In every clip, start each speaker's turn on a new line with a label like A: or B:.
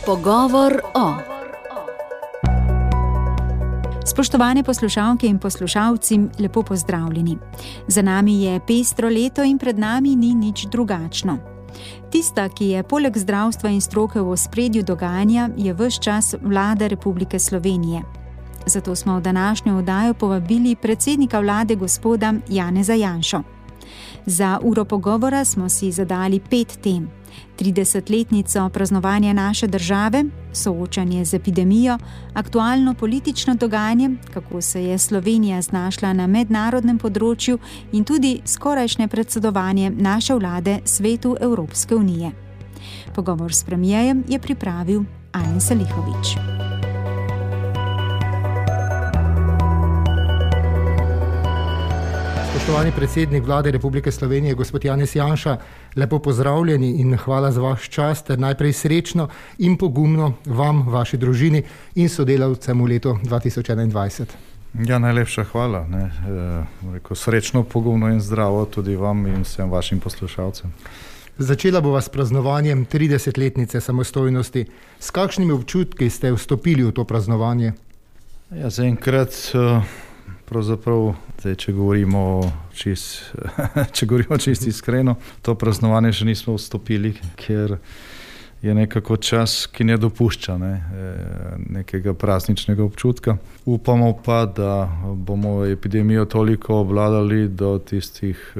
A: Pogovor o. Spoštovane poslušalke in poslušalci, lepo pozdravljeni. Za nami je pestro leto in pred nami ni nič drugačno. Tista, ki je poleg zdravstva in stroke v ospredju dogajanja, je ves čas Vlada Republike Slovenije. Zato smo v današnjo oddajo povabili predsednika vlade gospoda Janeza Janšo. Za uro pogovora smo si zadali 5 tem. 30-letnico praznovanja naše države, soočanje z epidemijo, aktualno politično dogajanje, kako se je Slovenija znašla na mednarodnem področju in tudi skorajšnje predsedovanje naše vlade Svetu Evropske unije. Pogovor s premijerjem je pripravil Alen Salihović.
B: Spoštovani predsednik Vlade Republike Slovenije, gospod Janez Janša, lepo pozdravljeni in hvala za vaš čas ter najprej srečno in pogumno vam, vaši družini in sodelavcem v letu 2021.
C: Ja, najlepša hvala. Srečno, pogumno in zdravo tudi vam in vsem vašim poslušalcem.
B: Začela bo vas praznovanjem 30-letnice samostojnosti. S kakšnimi občutki ste vstopili v to praznovanje?
C: Ja, zaenkrat pravzaprav, če govorimo čisto iskreno, to praznovanje še nismo vstopili, ker je nekako čas, ki ne dopušča nekega prazničnega občutka. Upamo pa, da bomo epidemijo toliko obvladali do tistih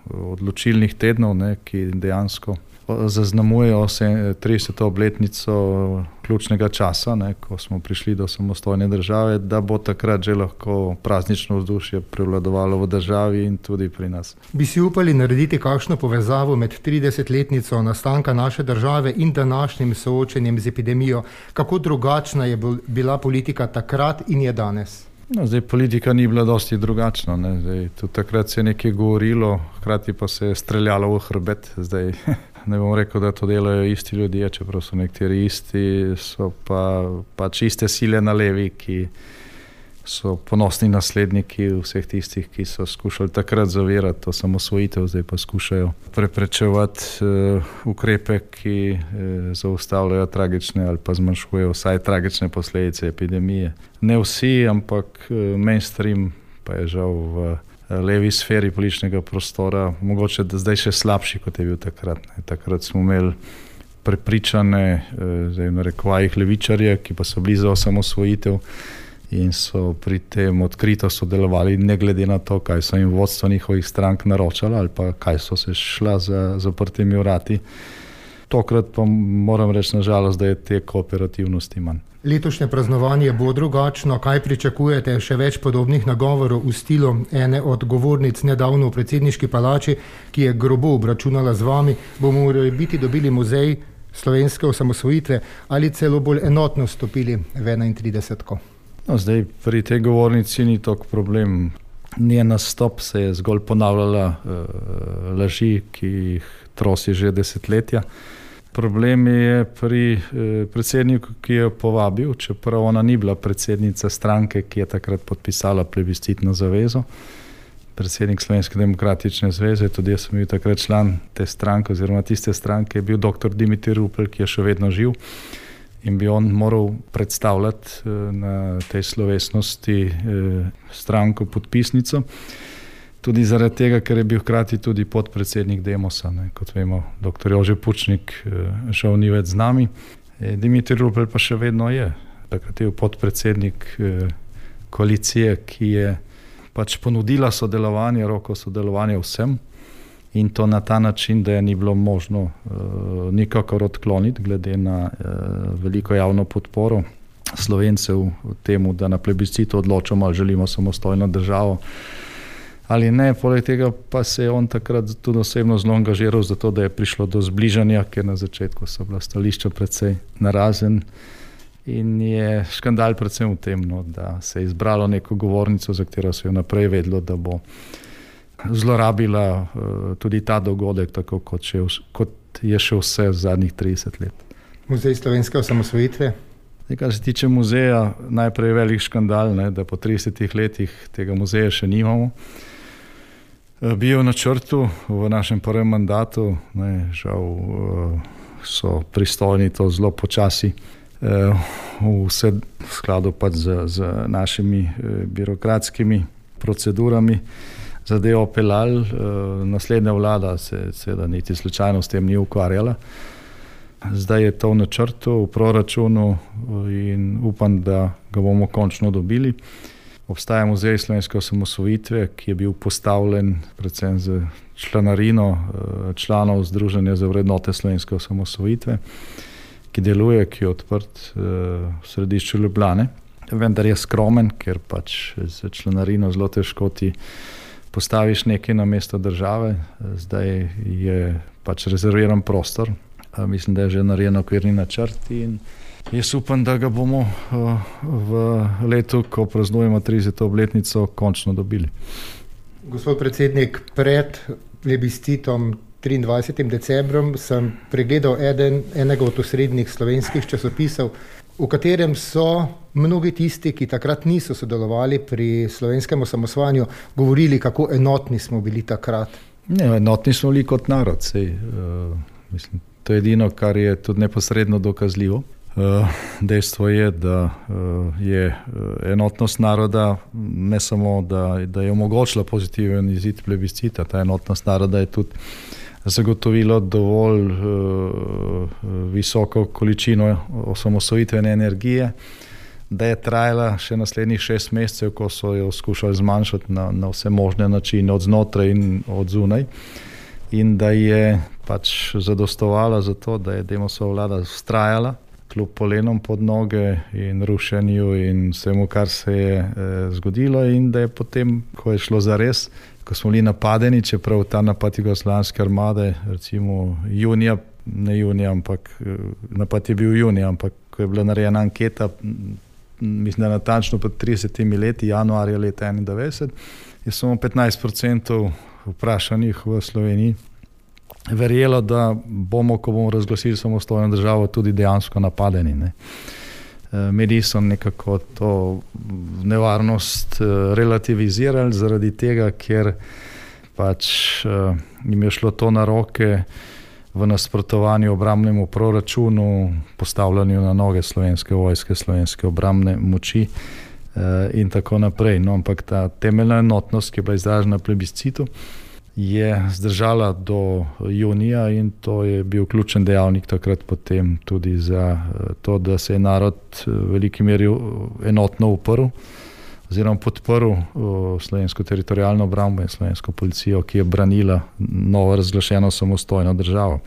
C: odločilnih tednov, ki dejansko zaznamujejo 30. obletnico ključnega časa, ko smo prišli do samostojne države, da bo takrat že lahko praznično vzdušje prevladovalo v državi in tudi pri nas.
B: Bi si upali narediti kakšno povezavo med 30-letnico nastanka naše države in današnjim soočenjem z epidemijo? Kako drugačna je bila politika takrat in je danes?
C: Politika ni bila dosti drugačna. Tudi takrat se je nekaj govorilo, hkrati pa se je streljalo v hrbet. Ne bom rekel, da to delajo isti ljudje, čeprav so nekateri isti, so pa čiste sile na levi, ki so ponosni nasledniki vseh tistih, ki so skušali takrat zavirati to samosvojitev, zdaj pa skušajo preprečevati ukrepe, ki zaustavljajo tragične ali pa zmanjšujejo vsaj tragične posledice epidemije. Ne vsi, ampak mainstream pa je žal v levi sferi političnega prostora, mogoče da zdaj še slabši, kot je bil takrat. Takrat smo imeli prepričane, zdaj v narekovajih, levičarje, ki pa so bili za osamosvojitev in so pri tem odkrito sodelovali, ne glede na to, kaj so jim vodstvo njihovih strank naročala ali pa kaj so se šla za zaprtimi vrati. Tokrat pa moram reči, nažalost, da je te kooperativnosti manj.
B: Letošnje praznovanje bo drugačno. Kaj pričakujete? Še več podobnih nagovorov v stilu ene od govornic nedavno v predsedniški palači, ki je grobo obračunala z vami. Bomo biti dobili muzej slovenske osamosvojitve ali celo bolj enotno stopili v 31.
C: Zdaj pri tej govornici ni toliko problem. Njen nastop se je zgolj ponavljala laži, ki jih trosi že desetletja. Problem je pri predsedniku, ki je povabil, čeprav ona ni bila predsednica stranke, ki je takrat podpisala plebiscitno zavezo. Predsednik Slovenske demokratične zveze, tudi jaz sem bil takrat član te stranke oziroma tiste stranke, je bil dr. Dimitrij Rupel, ki je še vedno živ in bi on moral predstavljati na tej slovesnosti stranko podpisnico. Tudi zaradi tega, ker je bil hkrati tudi podpredsednik Demosa. Kot vemo, dr. Jože Pučnik žal ni več z nami. Dimitrij Rupel pa še vedno je. Takrat je podpredsednik koalicije, ki je pač ponudila sodelovanje, roko sodelovanja vsem in to na ta način, da je ni bilo možno nikakor odkloniti glede na veliko javno podporo Slovencev temu, da na plebiscitu odločamo, ali želimo samostojno državo ali ne. Poleg tega pa se je on takrat tudi osebno zelo angažiral za to, da je prišlo do zbližanja, ker na začetku so bila stališča precej narazen in je škandal predvsem v tem, da se je izbralo neko govornico, za katero se je naprej vedlo, da bo zlorabila tudi ta dogodek, tako kot je še vse v zadnjih 30 let.
B: Muzej slovenske osamosvojitve?
C: Kar se tiče muzeja, najprej velik škandal, da po 30 letih tega muzeja še nimamo. Bil v načrtu v našem prvem mandatu, žal so pristojni to zelo počasi vse v skladu pač z našimi birokratskimi procedurami zadevo peljali. Naslednja vlada se seveda niti slučajno s tem ni ukvarjala. Zdaj je to v načrtu, v proračunu in upam, da ga bomo končno dobili. Obstaja muzej slovenske osamosvojitve, ki je bil postavljen predvsem z članarino članov Združenja za vrednote slovenske osamosvojitve, ki deluje, ki je odprt v središču Ljubljane. Vendar je skromen, ker pač z članarino zelo težko ti postaviš nekaj na mesto države. Zdaj je pač rezerviran prostor. Mislim, da je že narejen okvirni načrt in jaz upam, da ga bomo v letu, ko praznujemo 30. obletnico, končno dobili.
B: Gospod predsednik, pred plebiscitom 23. decembrom sem pregledal enega od osrednjih slovenskih časopisov, v katerem so mnogi tisti, ki takrat niso sodelovali pri slovenskem osamosvajanju, govorili, kako enotni smo bili takrat.
C: Ne, enotni smo bili kot narod. Mislim, to je edino, kar je tudi neposredno dokazljivo. Dejstvo je, da je enotnost naroda ne samo, da je omogočila pozitiven izid plebiscita, ta enotnost naroda je tudi zagotovilo dovolj visoko količino osamosvojitvene energije, da je trajala še naslednjih 6 mesecev, ko so jo skušali zmanjšati na vse možne načine, od znotraj in od zunaj, in da je pač zadostovala za to, da je Demosova vlada vztrajala kljub polenom pod noge in rušenju in vsemu, kar se je zgodilo, in da je potem, ko je šlo zares, ko smo bili napadeni, čeprav ta napad jugoslovanske armade, recimo napad je bil junija, ampak ko je bila narejena anketa, mislim, da natančno pred 30 leti, januarja leta 1991, je samo 15% vprašanih v Sloveniji verjelo, da bomo, ko bomo razglasili samostojno državo, tudi dejansko napadeni. Ne. Mediji so nekako to nevarnost relativizirali zaradi tega, ker pač jim je šlo to na roke v nasprotovanju obrambnemu proračunu, postavljanju na noge slovenske vojske, slovenske obrambne moči in tako naprej. No, ampak ta temeljna enotnost, ki je bila izražena na plebiscitu, je zdržala do junija in to je bil ključen dejavnik takrat potem tudi za to, da se je narod v veliki meri enotno uprl oziroma podprl slovensko teritorialno obrambo in slovensko policijo, ki je branila novo razglašeno samostojno državo.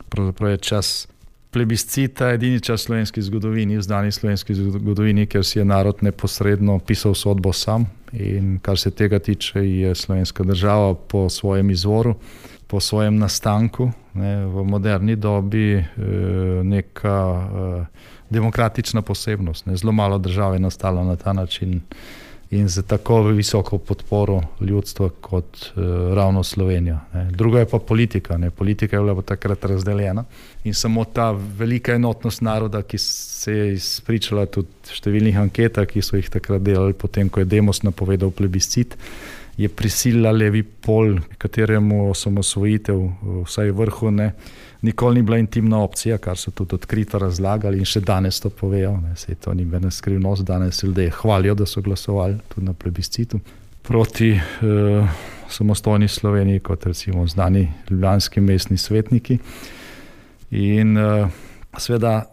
C: Pravzaprav je čas plebiscita edini čas slovenski zgodovini, v znani slovenski zgodovini, ker si je narod neposredno pisal sodbo sam, in kar se tega tiče, je slovenska država po svojem izvoru, po svojem nastanku, v moderni dobi neka demokratična posebnost. Zelo malo držav je nastalo na ta način in za tako visoko podporo ljudstva kot ravno Slovenija. Druga je pa politika. Politika je bila takrat razdeljena in samo ta velika enotnost naroda, ki se je izpričala tudi v številnih anketah, ki so jih takrat delali potem, ko je Demos napovedal plebiscit, je prisilila levi pol, kateremu osamosvojitev, vsaj vrhu, nikoli ni bila intimna opcija, kar so tudi odkrito razlagali in še danes to povejo. Sej to ni bena skrivnost, danes ljudje hvalijo, da so glasovali tudi na plebiscitu proti samostojni Sloveniji, kot recimo znani ljubljanski mestni svetniki. In seveda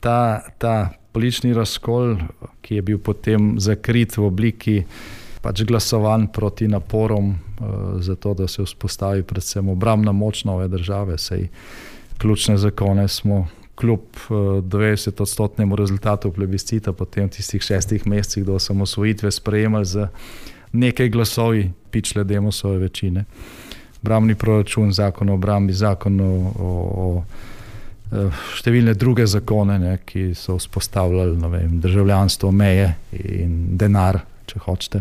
C: ta politični razkol, ki je bil potem zakrit v obliki pač glasovanj proti naporom za to, da se vzpostavi predvsem obrambna moč nove države. Sej ključne zakone smo kljub 90% rezultatu plebiscita potem v tistih 6 mesecih do osamosvojitve sprejemali z nekaj glasovi pičle Demosove večine. Obrambni proračun, zakon o obrambi, zakon o številne druge zakone, ki so vzpostavljali državljanstvo, meje in denar, če hočete.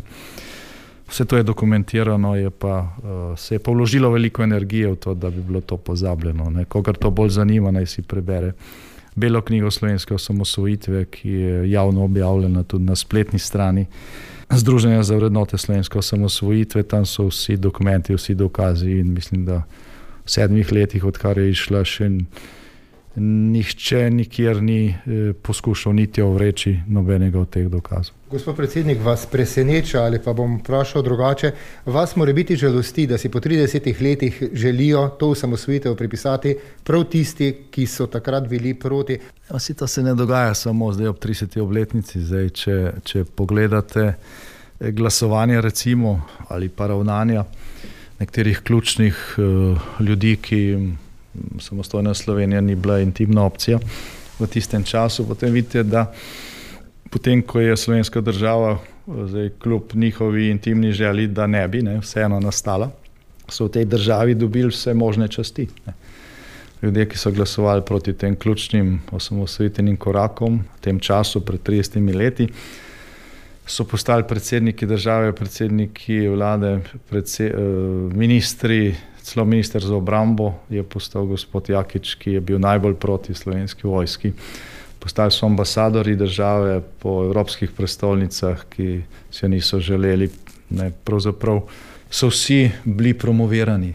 C: Vse to je dokumentirano, se je pa vložilo veliko energije v to, da bi bilo to pozabljeno. Kogar to bolj zanima, naj si prebere Belo knjigo slovenske osamosvojitve, ki je javno objavljena tudi na spletni strani Združenja za vrednote slovenske osamosvojitve. Tam so vsi dokumenti, vsi dokazi in mislim, da v 7 letih, odkar je išla, še nihče nikjer ni poskušal niti ovreči nobenega od teh dokazov.
B: Gospod predsednik, vas preseneča ali pa bom vprašal drugače, vas mora biti žalosti, da si po 30 letih želijo to osamosvojitev pripisati prav tisti, ki so takrat bili proti?
C: To se ne dogaja samo zdaj ob 30. obletnici. Zdaj, če pogledate glasovanje recimo ali pa ravnanja nekaterih ključnih ljudi, ki samostojna Slovenija ni bila intimna opcija v tistem času, potem vidite, da potem, ko je slovenska država zdaj kljub njihovi intimni želji, da ne bi vseeno nastala, so v tej državi dobili vse možne časti. Ljudje, ki so glasovali proti tem ključnim osamosvojitvenim korakom v tem času pred 30 leti, so postali predsedniki države, predsedniki vlade, ministri, celo minister za obrambo je postal gospod Jakič, ki je bil najbolj proti slovenski vojski. Postali so ambasadori države po evropskih prestolnicah, ki se niso želeli. Pravzaprav so vsi bili promovirani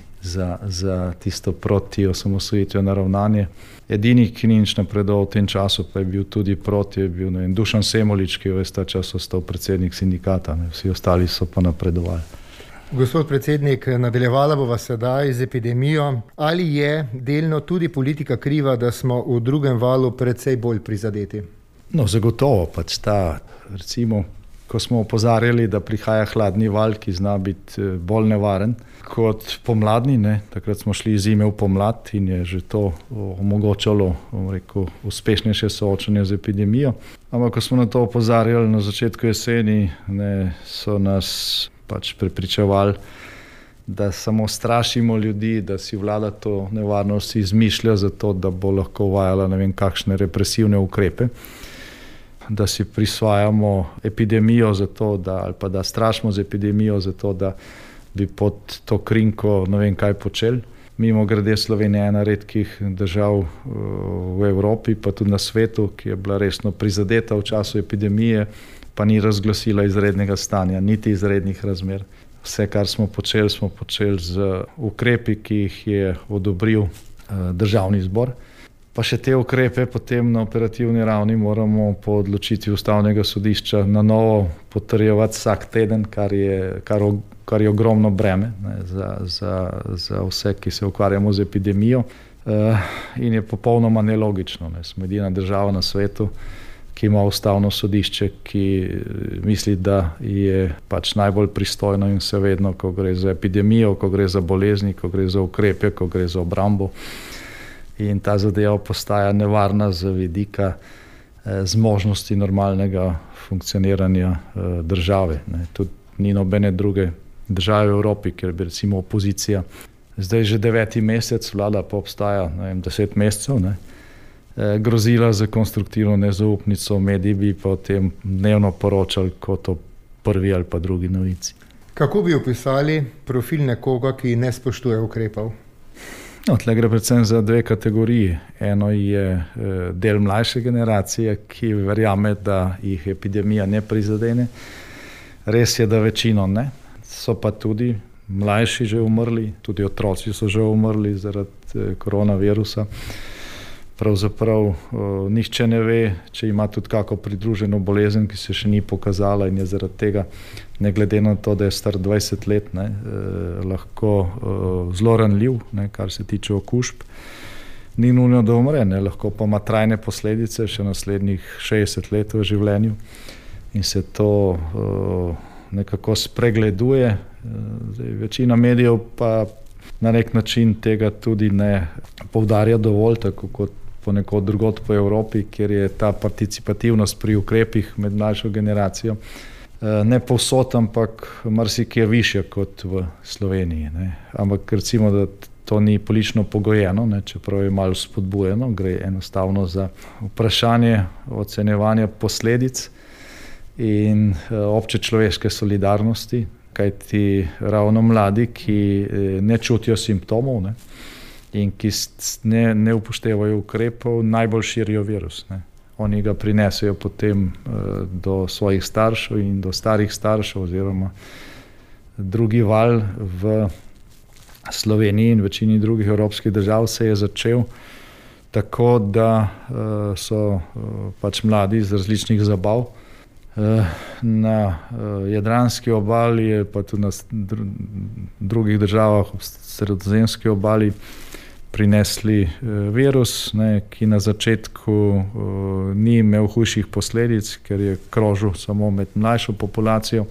C: za tisto proti osamosvojitveno ravnanje. Edini, ki ni nič napredoval v tem času, pa je bil tudi proti, je bil Dušan Semolič, ki je ves ta čas ostal predsednik sindikata. Vsi ostali so pa napredovali.
B: Gospod predsednik, nadaljevala bova sedaj z epidemijo. Ali je delno tudi politika kriva, da smo v drugem valu precej bolj prizadeti?
C: Zagotovo recimo, ko smo opozarjali, da prihaja hladni val, ki zna biti bolj nevaren kot pomladni, takrat smo šli iz zime v pomlad in je že to omogočalo, uspešnejše soočanje z epidemijo. Ampak ko smo na to opozarjali na začetku jeseni, so nas prepričevali, da samo strašimo ljudi, da si vlada to nevarnost izmišlja zato, da bo lahko uvajala ne vem kakšne represivne ukrepe, da si prisvajamo epidemijo zato, ali pa da strašimo z epidemijo zato, da bi pod to krinko ne vem kaj počeli. Mimogrede, Slovenija je ena redkih držav v Evropi, pa tudi na svetu, ki je bila resno prizadeta v času epidemije, pa ni razglasila izrednega stanja, niti izrednih razmer. Vse, kar smo počeli z ukrepi, ki jih je odobril Državni zbor. Pa še te ukrepe potem na operativni ravni moramo po odločitvi Ustavnega sodišča na novo potrjevati vsak teden, kar je ogromno breme za vse, ki se ukvarjamo z epidemijo. In je popolnoma nelogično. Smo edina država na svetu, ki ima Ustavno sodišče, ki misli, da je najbolj pristojno in se vedno, ko gre za epidemijo, ko gre za bolezni, ko gre za ukrepe, ko gre za obrambo. In ta zadeva postaja nevarna z vidika zmožnosti normalnega funkcioniranja države. Tudi ni nobene druge države v Evropi, kjer bi recimo opozicija zdaj že 9. mesec, vlada pa obstaja 10 mesecev, grozila za konstruktivno nezaupnico, mediji bi pa o tem dnevno poročali kot o prvi ali pa drugi novici.
B: Kako bi opisali profil nekoga, ki ne spoštuje ukrepov?
C: Tle gre predvsem za dve kategoriji. Eno je del mlajše generacije, ki verjame, da jih epidemija ne prizadene. Res je, da večino ne. So pa tudi mlajši že umrli, tudi otroci so že umrli zaradi koronavirusa. Pravzaprav nihče ne ve, če ima tudi kako pridruženo bolezen, ki se še ni pokazala in je zaradi tega, ne glede na to, da je star 20 let, lahko zelo ranljiv, kar se tiče okužb. Ni nujno, da umre, lahko pa ima trajne posledice še naslednjih 60 let v življenju in se to nekako spregleduje. Večina medijev pa na nek način tega tudi ne poudarja dovolj, tako kot ponekod drugod po Evropi, kjer je ta participativnost pri ukrepih med mlajšo generacijo ne povsod, ampak marsikje višja kot v Sloveniji. Ampak recimo, da to ni politično pogojeno, čeprav je malo spodbujeno, gre enostavno za vprašanje ocenjevanja posledic in obče človeške solidarnosti, kajti ravno mladi, ki ne čutijo simptomov in ki ne upoštevajo ukrepov, najbolj širijo virus. Oni ga prinesejo potem do svojih staršev in do starih staršev, oziroma drugi val v Sloveniji in večini drugih evropskih držav se je začel tako da so pač mladi iz različnih zabav na Jadranski obali, pa tudi na drugih državah v Sredozemski obali prinesli virus, ki na začetku ni imel hujših posledic, ker je krožil samo med mlajšo populacijo.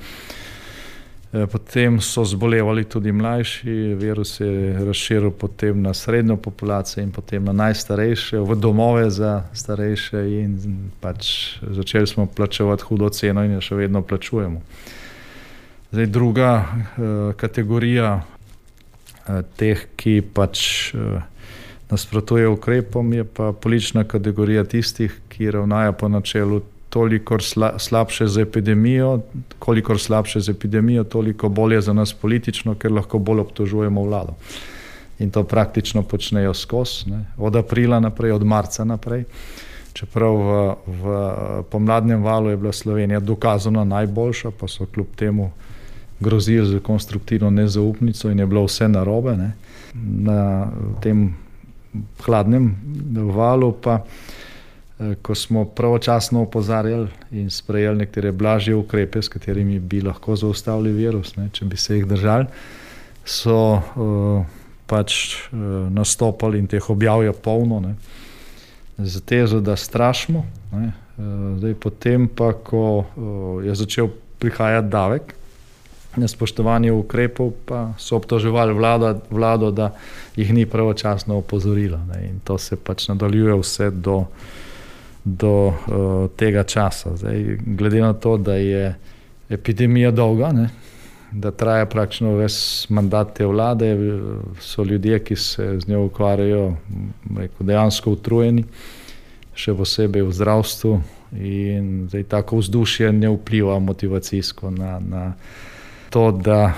C: Potem so zbolevali tudi mlajši, virus je razširil potem na srednjo populacijo in potem na najstarejše, v domove za starejše in pač začeli smo plačevati hudo ceno in jo še vedno plačujemo. Zdaj druga kategorija teh, ki pač nasprotuje ukrepom, je pa politična kategorija tistih, ki ravnajo po načelu kolikor slabše z epidemijo, toliko bolje za nas politično, ker lahko bolj obtožujemo vlado. In to praktično počnejo skozi, od aprila naprej, od marca naprej. Čeprav v pomladnem valu je bila Slovenija dokazano najboljša, pa so kljub temu grozili z konstruktivno nezaupnico in je bilo vse narobe. Na tem hladnem valu pa, ko smo pravočasno opozarjali in sprejeli nekatere blažje ukrepe, s katerimi bi lahko zaustavili virus, če bi se jih držali, so pač nastopali in teh objav je polno, z tezo, da strašimo. Zdaj potem pa, ko je začel prihajati davek na spoštovanje ukrepov, pa so obtoževali vlado, da jih ni pravočasno opozorila. In to se pač nadaljuje vse do tega časa. Zdaj, glede na to, da je epidemija dolga, da traja praktično ves mandat te vlade, so ljudje, ki se z njo ukvarjajo, dejansko utrujeni, še posebej v zdravstvu, in zdaj tako vzdušje ne vpliva motivacijsko na to, da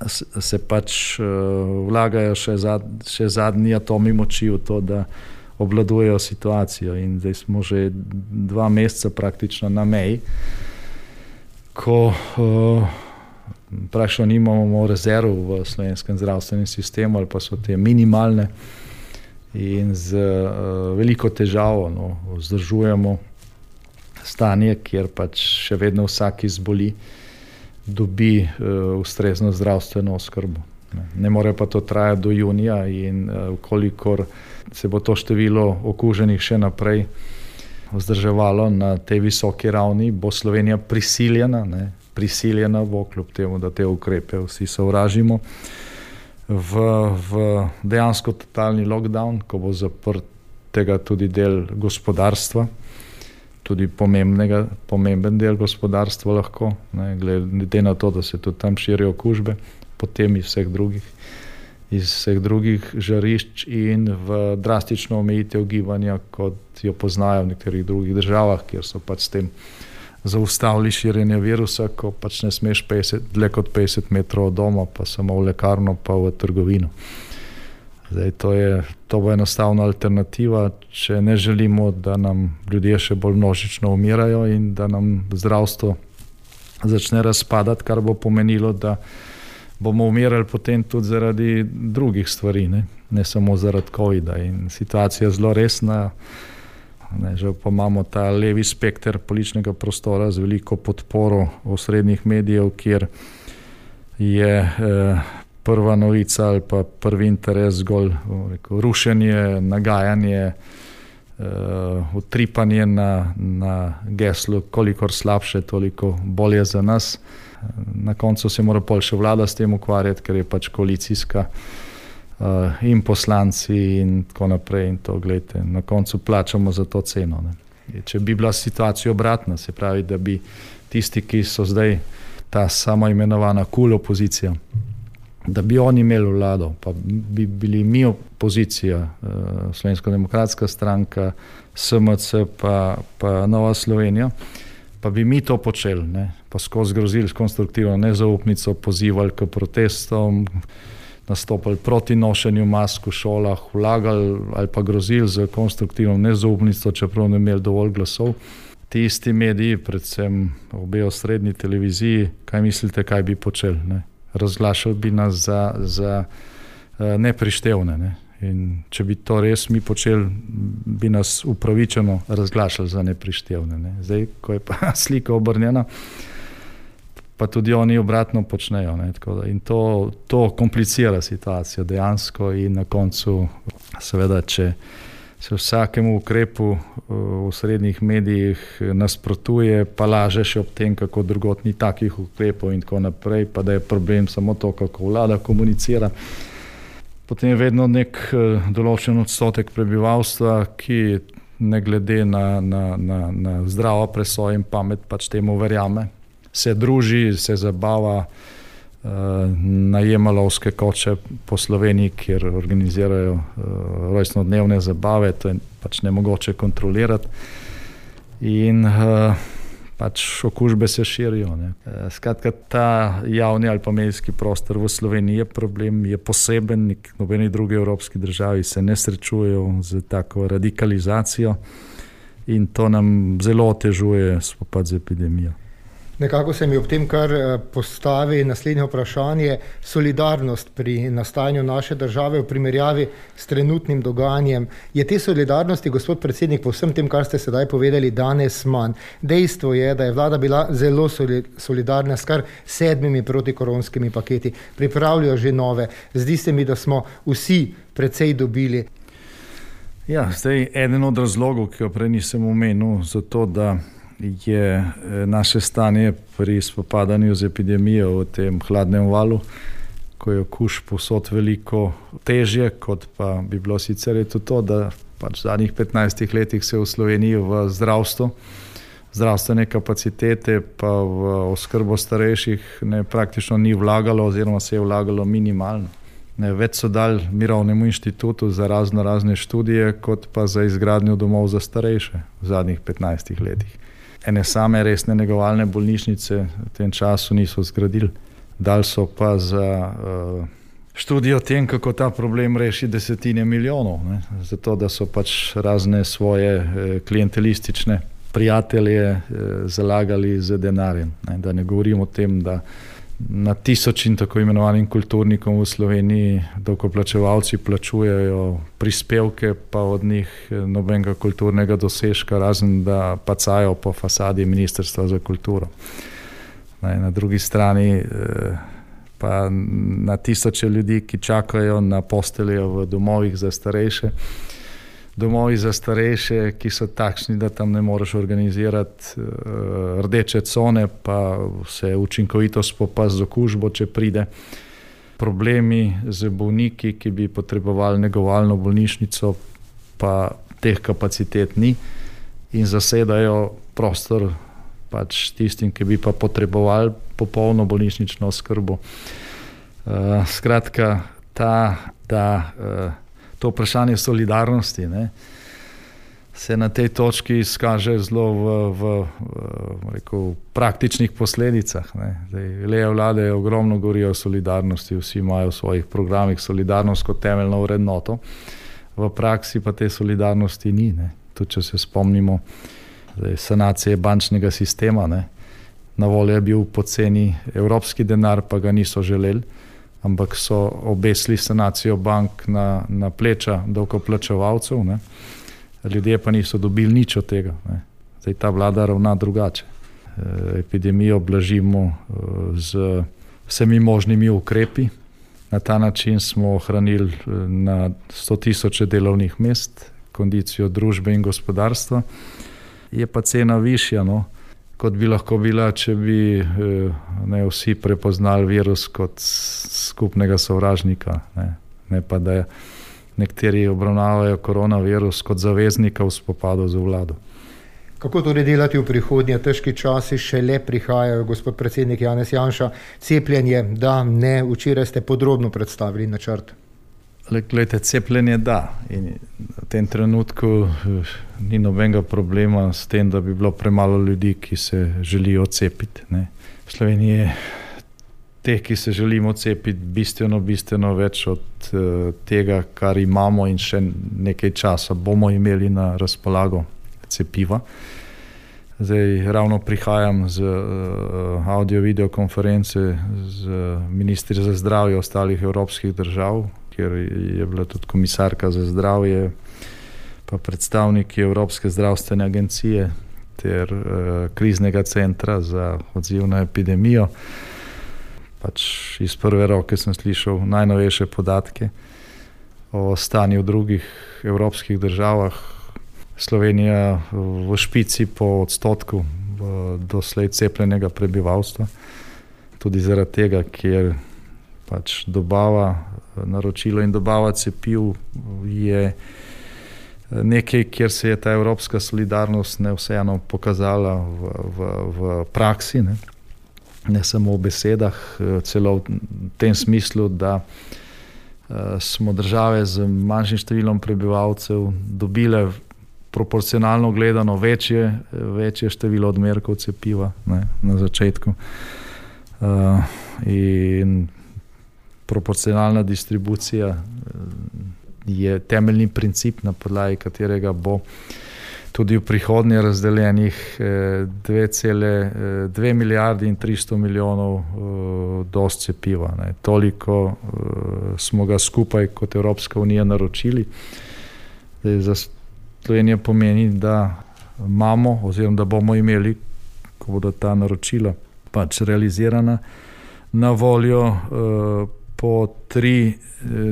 C: se pač vlagajo še zadnji atomi moči v to, da obvladujejo situacijo, in zdaj smo že 2 meseca praktično na meji, ko praktično nimamo rezerv v slovenskem zdravstvenem sistemu ali pa so te minimalne in z veliko težavo vzdržujemo stanje, kjer pač še vedno vsak izboli dobi ustrezno zdravstveno oskrbo. Ne more pa to trajati do junija in kolikor se bo to število okuženih še naprej vzdrževalo na tej visoki ravni, bo Slovenija prisiljena bo, kljub temu, da te ukrepe vsi sovražimo, v dejansko totalni lockdown, ko bo zaprt tega tudi del gospodarstva, tudi pomemben del gospodarstva lahko, glede na to, da se tudi tam širijo okužbe, potem iz vseh drugih žarišč in v drastično omejitev gibanja, kot jo poznajo v nekaterih drugih državah, kjer so pač s tem zaustavili širjenje virusa, ko pač ne smeš dlje kot 50 metrov od doma, pa samo v lekarno, pa v trgovino. Zdaj, to bo enostavna alternativa, če ne želimo, da nam ljudje še bolj množično umirajo in da nam zdravstvo začne razpadati, kar bo pomenilo, da bomo umirali potem tudi zaradi drugih stvari, ne samo zaradi covida. In situacija je zelo resna. Žal pa imamo ta levi spekter političnega prostora z veliko podporo osrednjih medijev, kjer je prva novica ali pa prvi interes zgolj rušenje, nagajanje, utripanje na geslu, kolikor slabše, toliko bolje za nas. Na koncu se mora pol še vlada s tem ukvarjati, ker je pač koalicijska in poslanci in tako naprej. In to, gledajte, na koncu plačamo za to ceno. Če bi bila situacija obratna, se pravi, da bi tisti, ki so zdaj ta samo imenovana kul opozicija, da bi oni imeli vlado, pa bi bili mi opozicija, Slovenska demokratska stranka, SMC pa Nova Slovenija, pa bi mi to počeli, pa skozi grozili s konstruktivno nezaupnico, pozivali k protestom, nastopali proti nošenju mask v šolah, vlagali ali pa grozili z konstruktivno nezaupnico, čeprav ne imeli dovolj glasov. Ti isti mediji, predvsem obe osrednji televiziji, kaj mislite, kaj bi počeli? Razglašali bi nas za neprištevne. In če bi to res mi počeli, bi nas upravičeno razglašali za neprištevne. Ne. Zdaj, ko je pa slika obrnjena, pa tudi oni obratno počnejo. Ne. In to komplicira situacijo dejansko in na koncu, seveda, če se vsakemu ukrepu v srednjih medijih nasprotuje, pa laže še ob tem, kako drugot ni takih ukrepov in tako naprej, pa da je problem samo to, kako vlada komunicira. Potem je vedno nek določen odstotek prebivalstva, ki ne glede na zdravo presojo in pamet pač temu verjame. Se druži, se zabava, najema lovske koče po Sloveniji, kjer organizirajo rojstnodnevne zabave, to je pač nemogoče kontrolirati in pač okužbe se širijo. Ne. Skratka, ta javni ali pa medijski prostor v Sloveniji je problem, je poseben, nobeni drugi evropski državi se ne srečujejo z tako radikalizacijo in to nam zelo otežuje spopad z epidemijo.
B: Nekako se mi ob tem kar postavi naslednje vprašanje, solidarnost pri nastajanju naše države v primerjavi s trenutnim dogajanjem. Je te solidarnosti, gospod predsednik, po vsem tem, kar ste sedaj povedali, danes manj? Dejstvo je, da je vlada bila zelo solidarna s kar 7 protikoronskimi paketi. Pripravljajo že nove. Zdi se mi, da smo vsi precej dobili.
C: Ja, zdaj eden od razlogov, ki ga prej nisem omenil, zato da je naše stanje pri spopadanju z epidemijo v tem hladnem valu, ko je okužb povsod veliko težje, kot pa bi bilo sicer, je to, da pač v zadnjih 15 letih se v Sloveniji v zdravstvene kapacitete pa v oskrbo starejših praktično ni vlagalo oziroma se je vlagalo minimalno. Več so dali Mirovnemu inštitutu za razne študije, kot pa za izgradnjo domov za starejše v zadnjih 15 letih. Ene same resne negovalne bolnišnice v tem času niso zgradili. Dali so pa za študijo o tem, kako ta problem reši desetine milijonov. Ne? Zato, da so pač razne svoje klientelistične prijatelje zalagali z denarjem. Ne? Da ne govorim o tem, da na tisočin tako imenovanim kulturnikom v Sloveniji davkoplačevalci plačujejo prispevke, pa od njih nobenega kulturnega dosežka, razen da pacajo po fasadi Ministrstva za kulturo. Na drugi strani pa na tisoče ljudi, ki čakajo na posteljo v domovih za starejše. Domovi za starejše, ki so takšni, da tam ne moreš organizirati rdeče cone, pa se učinkovito spopasti z okužbo, če pride. Problemi z bolniki, ki bi potrebovali negovalno bolnišnico, pa teh kapacitet ni in zasedajo prostor pač tistim, ki bi pa potrebovali popolno bolnišnično oskrbo. Skratka, to vprašanje solidarnosti se na tej točki izkaže zelo v praktičnih posledicah. Leve vlade ogromno govorijo o solidarnosti, vsi imajo v svojih programih solidarnost kot temeljno vrednoto. V praksi pa te solidarnosti ni. Tudi če se spomnimo sanacije bančnega sistema, na voljo je bil poceni evropski denar, pa ga niso želeli, ampak so obesili sanacijo bank na pleča davkoplačevalcev, ljudje pa niso dobili nič od tega. Zdaj ta vlada ravna drugače. Epidemijo blažimo z vsemi možnimi ukrepi. Na ta način smo ohranili na 100.000 delovnih mest, kondicijo družbe in gospodarstva. Je pa cena višja, kot bi lahko bila, če bi vsi prepoznali virus kot skupnega sovražnika. Ne pa, da nekateri obravnavajo koronavirus kot zaveznika v spopadu z vlado.
B: Kako torej delati v prihodnje? Težki časi šele prihajajo, gospod predsednik Janez Janša. Cepljenje, da, ne, včeraj ste podrobno predstavili načrt.
C: Glejte, cepljenje da. In v tem trenutku ni nobenega problema s tem, da bi bilo premalo ljudi, ki se želijo cepiti. V Sloveniji je teh, ki se želimo cepiti, bistveno več od tega, kar imamo in še nekaj časa bomo imeli na razpolago cepiva. Zdaj ravno prihajam z audio-video konference z ministri za zdravje ostalih evropskih držav, kjer je bila tudi komisarka za zdravje, pa predstavniki Evropske zdravstvene agencije ter kriznega centra za odziv na epidemijo. Pač iz prve roke sem slišal najnovejše podatke o stanju v drugih evropskih državah. Slovenija v špici po odstotku doslej cepljenega prebivalstva. Tudi zaradi tega, ker pač naročilo in dobava cepiv je nekaj, kjer se je ta evropska solidarnost vseeno pokazala v praksi, ne samo v besedah, celo v tem smislu, da smo države z manjšim številom prebivalcev dobile proporcionalno gledano večje število odmerkov cepiva na začetku. In proporcionalna distribucija je temeljni princip, na podlagi katerega bo tudi v prihodnje razdeljenih 2,2 milijardi in 300 milijonov doz cepiva. Toliko smo ga skupaj kot Evropska unija naročili. Za Slovenijo pomeni, da imamo oziroma da bomo imeli, ko bodo ta naročila pač realizirana, na voljo po 3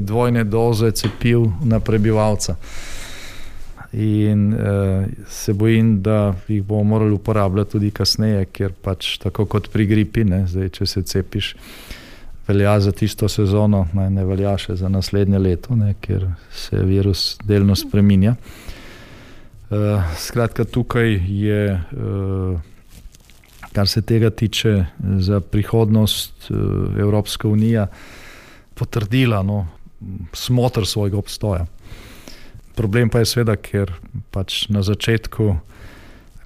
C: dvojne doze cepiv na prebivalca. In se bojim, da jih bomo morali uporabljati tudi kasneje, ker pač tako kot pri gripi, zdaj, če se cepiš, velja za tisto sezono, ne velja še za naslednje leto, ker se virus delno spreminja. Skratka, tukaj je, kar se tega tiče, za prihodnost Evropska unija potrdila smoter svojega obstoja. Problem pa je seveda, ker pač na začetku,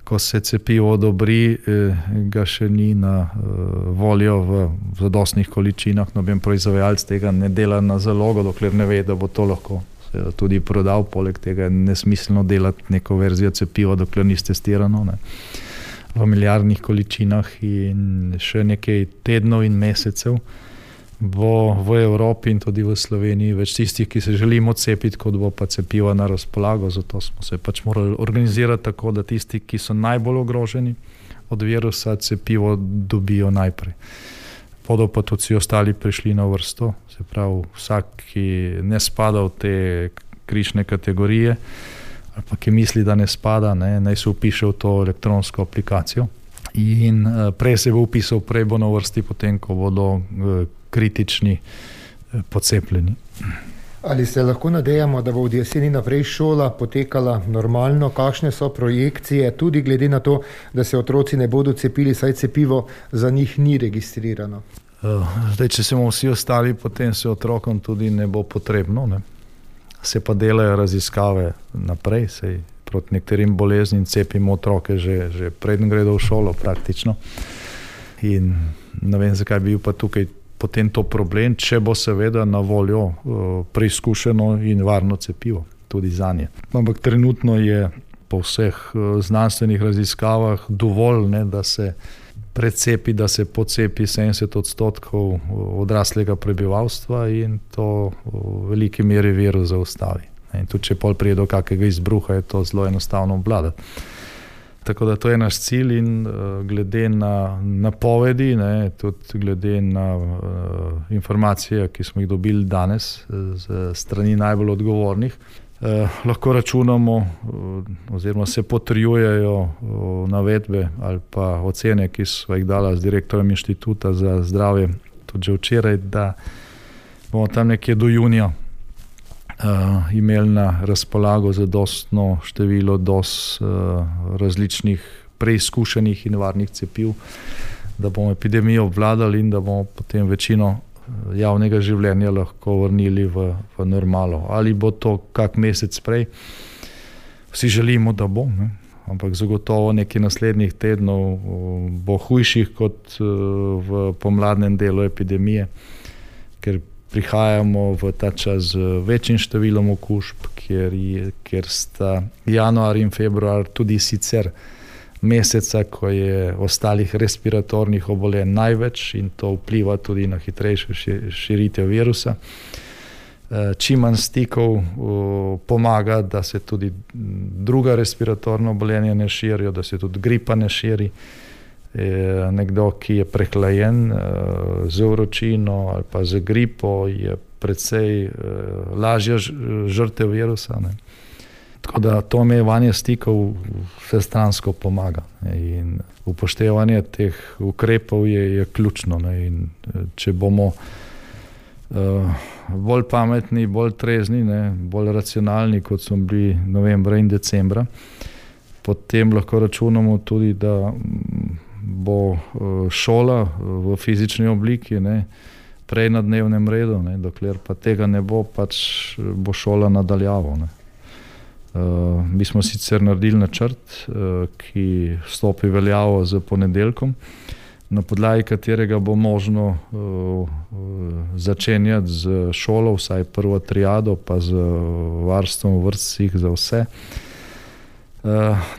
C: ko se cepivo odobri, ga še ni na voljo v zadostnih količinah. Noben proizvajalec tega ne dela na zalogo, dokler ne ve, da bo to lahko tudi prodal. Poleg tega je nesmiselno delati neko verzijo cepiva, dokler ni testirano v milijardnih količinah, in še nekaj tednov in mesecev bo v Evropi in tudi v Sloveniji več tistih, ki se želimo cepiti, kot bo pa cepiva na razpolago. Zato smo se pač morali organizirati tako, da tisti, ki so najbolj ogroženi od virusa, cepivo dobijo najprej. Bodo pa tudi vsi ostali prišli na vrsto, se pravi vsak, ki ne spada v te križne kategorije ali pa ki misli, da ne spada, naj se vpiše v to elektronsko aplikacijo. In prej se bo vpisal, prej bo na vrsti, potem ko bodo kritični pocepljeni.
B: Ali se lahko nadejamo, da bo od jeseni naprej šola potekala normalno? Kakšne so projekcije, tudi glede na to, da se otroci ne bodo cepili, saj cepivo za njih ni registrirano?
C: Zdaj, če se bomo vsi ostali, potem se otrokom tudi ne bo potrebno. Se pa delajo raziskave naprej, sej proti nekaterim boleznim cepimo otroke že preden gredo v šolo praktično. In ne vem, zakaj bi bil pa tukaj potem to problem, če bo seveda na voljo preizkušeno in varno cepivo tudi zanje. Ampak trenutno je po vseh znanstvenih raziskavah dovolj, da se precepi, da se pocepi 70% odraslega prebivalstva in to v veliki meri virus zaustavi. In tudi če pol prije do kakega izbruha, je to zelo enostavno obvladati. Tako da to je naš cilj in glede na napovedi, tudi glede na informacije, ki smo jih dobili danes z strani najbolj odgovornih, lahko računamo oziroma se potrjujejo navedbe ali pa ocene, ki so jih dala z direktorjem Inštituta za zdravje tudi že včeraj, da bomo tam nekje do junija imeli na razpolago zadostno število doz različnih preizkušenih in varnih cepiv, da bomo epidemijo obvladali in da bomo potem večino javnega življenja lahko vrnili v normalo. Ali bo to kak mesec prej? Vsi želimo, da bo, ampak zagotovo nekaj naslednjih tednov bo hujših kot v pomladnem delu epidemije, ker prihajamo v ta čas z večjim številom okužb, ker sta januar in februar tudi sicer meseca, ko je ostalih respiratornih obolenj največ in to vpliva tudi na hitrejšo širitev virusa. čim manj stikov pomaga, da se tudi druga respiratorna obolenja ne širijo, da se tudi gripa ne širi. Nekdo, ki je prehlajen z vročino ali pa z gripo, je precej lažja žrtev virusa. Ne. Tako da to omejevanje stikov vsestransko pomaga. In upoštevanje teh ukrepov je ključno. Ne. In če bomo bolj pametni, bolj trezni, ne, bolj racionalni, kot smo bili novembra in decembra, potem lahko računamo tudi, da bo šola v fizični obliki, ne, prej na dnevnem redu, ne, dokler pa tega ne bo, pač bo šola nadaljavo. Ne. Mi smo sicer naredili načrt, ki stopi veljavo z ponedeljkom, na podlagi katerega bo možno začenjati z šolo, vsaj prvo triado, pa z varstvom v vrtcih za vse.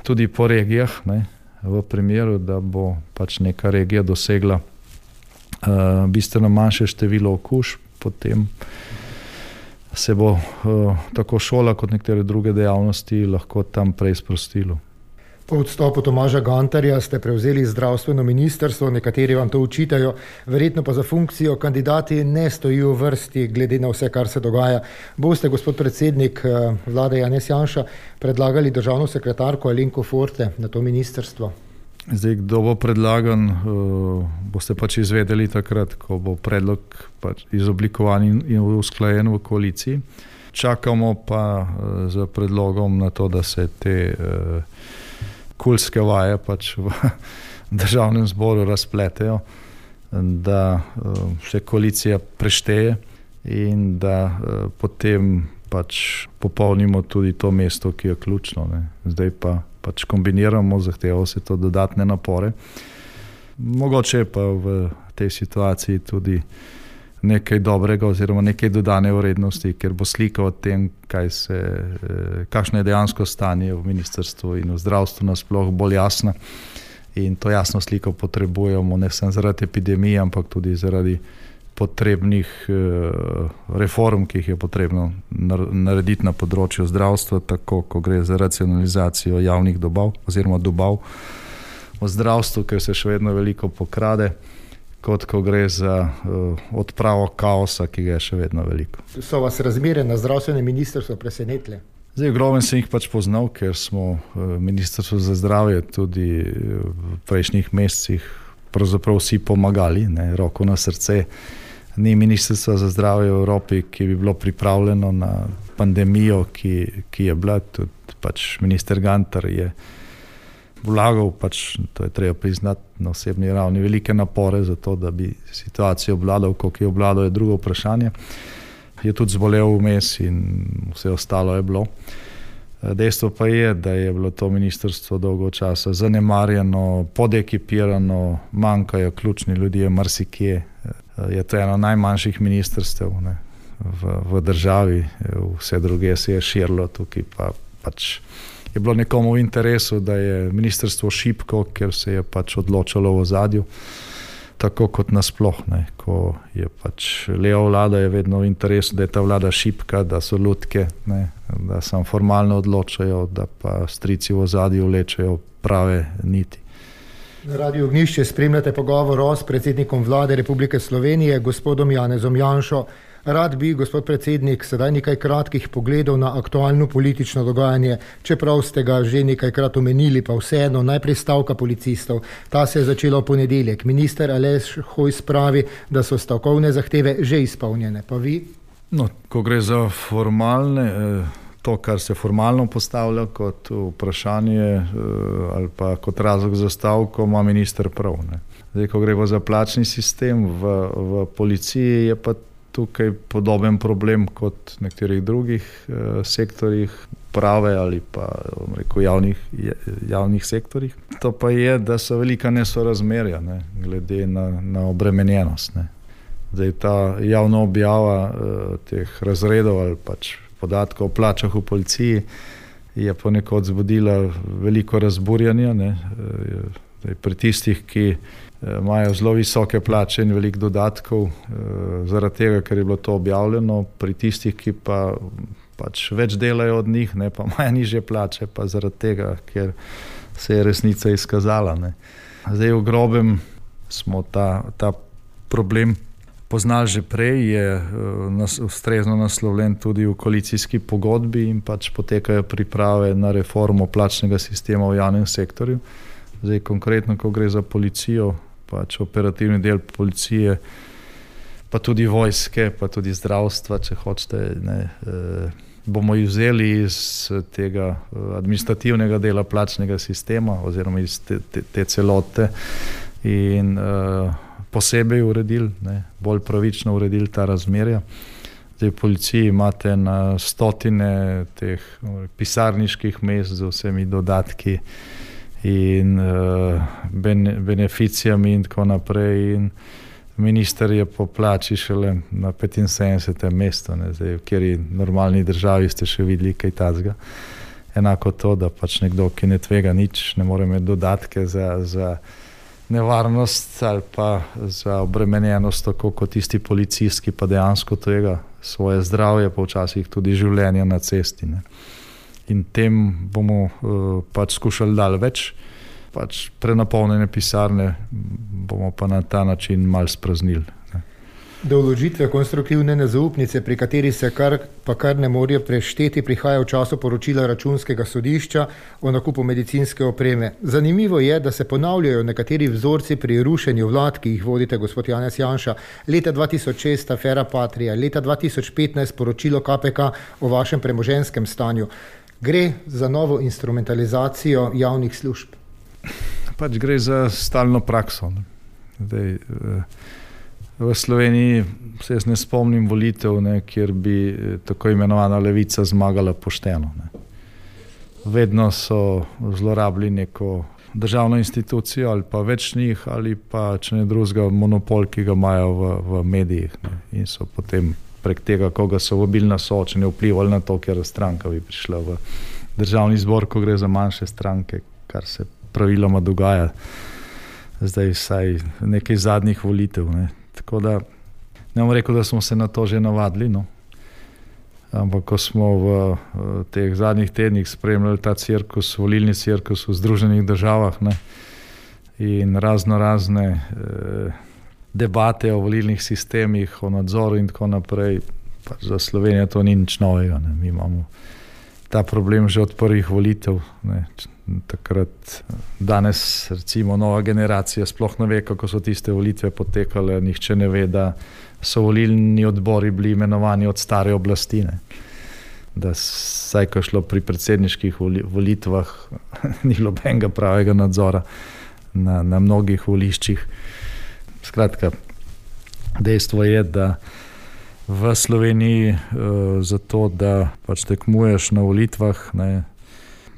C: Tudi po regijah, ne, v primeru, da bo pač neka regija dosegla bistveno manjše število okužb, potem se bo tako šola kot nekatere druge dejavnosti lahko tam prej sprostilo.
B: Po odstopu Tomaža Gantarja ste prevzeli zdravstveno ministrstvo, nekateri vam to učitajo, verjetno pa za funkcijo kandidati ne stojijo v vrsti, glede na vse, kar se dogaja. Boste, gospod predsednik vlade Janez Janša, predlagali državno sekretarko Alenko Forte na to ministrstvo?
C: Zdaj, kdo bo predlagan, boste pač izvedeli takrat, ko bo predlog pač izoblikovan in usklajen v koaliciji. Čakamo pa z predlogom na to, da se te kulske vaje pač v državnem zboru razpletejo, da se koalicija prešteje in da potem pač popolnimo tudi to mesto, ki je ključno. Ne. Zdaj pa pač kombiniramo, zahtevamo se to dodatne napore. Mogoče pa v tej situaciji tudi nekaj dobrega oziroma nekaj dodane vrednosti, ker bo slika o tem, kakšno je dejansko stanje v ministrstvu in v zdravstvu nasploh bolj jasna. In to jasno sliko potrebujemo ne samo zaradi epidemije, ampak tudi zaradi potrebnih reform, ki jih je potrebno narediti na področju zdravstva, tako ko gre za racionalizacijo javnih dobav oziroma dobav v zdravstvu, ker se še vedno veliko pokrade, kot ko gre za odpravo kaosa, ki ga je še vedno veliko.
B: So vas razmere na zdravstvenem ministrstvu presenetile?
C: Zdaj, ogromen sem jih pač poznal, ker smo Ministrstvo za zdravje tudi v prejšnjih mesecih pravzaprav vsi pomagali, ne, roko na srce. Ni Ministrstva za zdravje v Evropi, ki bi bilo pripravljeno na pandemijo, ki je bila. Tudi pač minister Gantar je vlagal, pač, to je treba priznati na osebni ravni, velike napore za to, da bi situacijo obvladal, koliko je obvladal, je drugo vprašanje. Je tudi zbolel vmes in vse ostalo je bilo. Dejstvo pa je, da je bilo to ministrstvo dolgo časa zanemarjeno, podekipirano, manjkajo ključni ljudje marsikje. Je to eno najmanjših ministrstev, ne, v državi, vse druge se je širilo, tukaj pa pač je bilo nekomu v interesu, da je ministrstvo šibko, ker se je pač odločalo v ozadju, tako kot nasploh, ne, ko je pač leva vlada, je vedno v interesu, da je ta vlada šibka, da so lutke, ne, da samo formalno odločajo, da pa strici v ozadju vlečejo prave niti.
B: Na Radiu Ognjišče spremljate pogovor s predsednikom vlade Republike Slovenije, gospodom Janezom Janšo. Rad bi, gospod predsednik, sedaj nekaj kratkih pogledov na aktualno politično dogajanje, čeprav ste ga že nekajkrat omenili, pa vseeno, najprej stavka policistov. Ta se je začela v ponedeljek. Minister Aleš Hojs pravi, da so stavkovne zahteve že izpolnjene. Pa vi?
C: No, ko gre za formalne, to, kar se formalno postavlja kot vprašanje ali pa kot razlog za stavko, ima minister prav. Ne. Zdaj, ko gre za plačni sistem v policiji, je pa tukaj podoben problem kot v nekaterih drugih sektorjih, prave ali pa javnih sektorjih. To pa je, da so velika nesorazmerja, ne, glede na obremenjenost. Ne. Zdaj, ta javna objava teh razredov ali pač podatkov o plačah v policiji je ponekod zbudila veliko razburjanja. Ne. Zdaj, pri tistih, ki imajo zelo visoke plače in veliko dodatkov, zaradi tega, ker je bilo to objavljeno, pri tistih, ki pa pač več delajo od njih, ne, pa imajo nižje plače, pa zaradi tega, ker se je resnica izkazala. Ne. Zdaj v grobem smo ta problem poznali že prej, je ustrezno naslovljen tudi v koalicijski pogodbi in pač potekajo priprave na reformo plačnega sistema v javnem sektorju. Zdaj konkretno, ko gre za policijo, pač operativni del policije, pa tudi vojske, pa tudi zdravstva, če hočete, ne, bomo vzeli iz tega administrativnega dela plačnega sistema oziroma iz te celote in posebej uredili, ne, bolj pravično uredili ta razmerja. Zdaj v policiji imate na stotine teh pisarniških mest z vsemi dodatki in beneficijami in tako naprej in minister je po plači šele na 75. mestu, ne, zdaj v kateri normalni državi ste še videli kaj takega. Enako to, da pač nekdo, ki ne tvega nič, ne more imeti dodatke za nevarnost ali pa za obremenjenost, tako kot tisti policist, ki pa dejansko tvega svoje zdravje, pa včasih tudi življenje na cesti. Ne. In tem bomo pač skušali dali več, pač prenapolnjene pisarne bomo pa na ta način malo spraznili.
B: Do vložitve konstruktivne nezaupnice, pri kateri se kar ne morejo prešteti, prihaja v času poročila Računskega sodišča o nakupu medicinske opreme. Zanimivo je, da se ponavljajo nekateri vzorci pri rušenju vlad, ki jih vodite, gospod Janez Janša. Leta 2006 afera Patria, leta 2015 poročilo KPK o vašem premoženjskem stanju. Gre za novo instrumentalizacijo javnih služb?
C: Pač gre za stalno prakso. Zdaj, v Sloveniji se jaz ne spomnim volitev, ne, kjer bi tako imenovana levica zmagala pošteno. Ne. Vedno so zlorabili neko državno institucijo ali pa več njih ali pa, če ne drugega, monopol, ki ga imajo v medijih. Ne. In so potem prek tega, koga so vabili na soočenje, vplivali na to, ker stranka bi prišla v državni zbor, ko gre za manjše stranke, kar se praviloma dogaja. Zdaj vsaj nekaj zadnjih volitev. Ne. Tako da ne bom rekel, da smo se na to že navadili, no. Ampak ko smo v teh zadnjih tednih spremljali ta cirkus, volilni cirkus v Združenih državah, ne, in razne debate o volilnih sistemih, o nadzoru in tako naprej, pa za Slovenijo to ni nič novega. Ne. Mi imamo ta problem že od prvih volitev. Ne. Takrat, danes recimo nova generacija sploh ne ve, kako so tiste volitve potekale, nihče ne ve, da so volilni odbori bili imenovani od stare oblasti, ne. Da saj, ko je šlo pri predsedniških volitvah, ni nobenega pravega nadzora na mnogih voliščih. Skratka, dejstvo je, da v Sloveniji zato, da pač tekmuješ na volitvah, ne,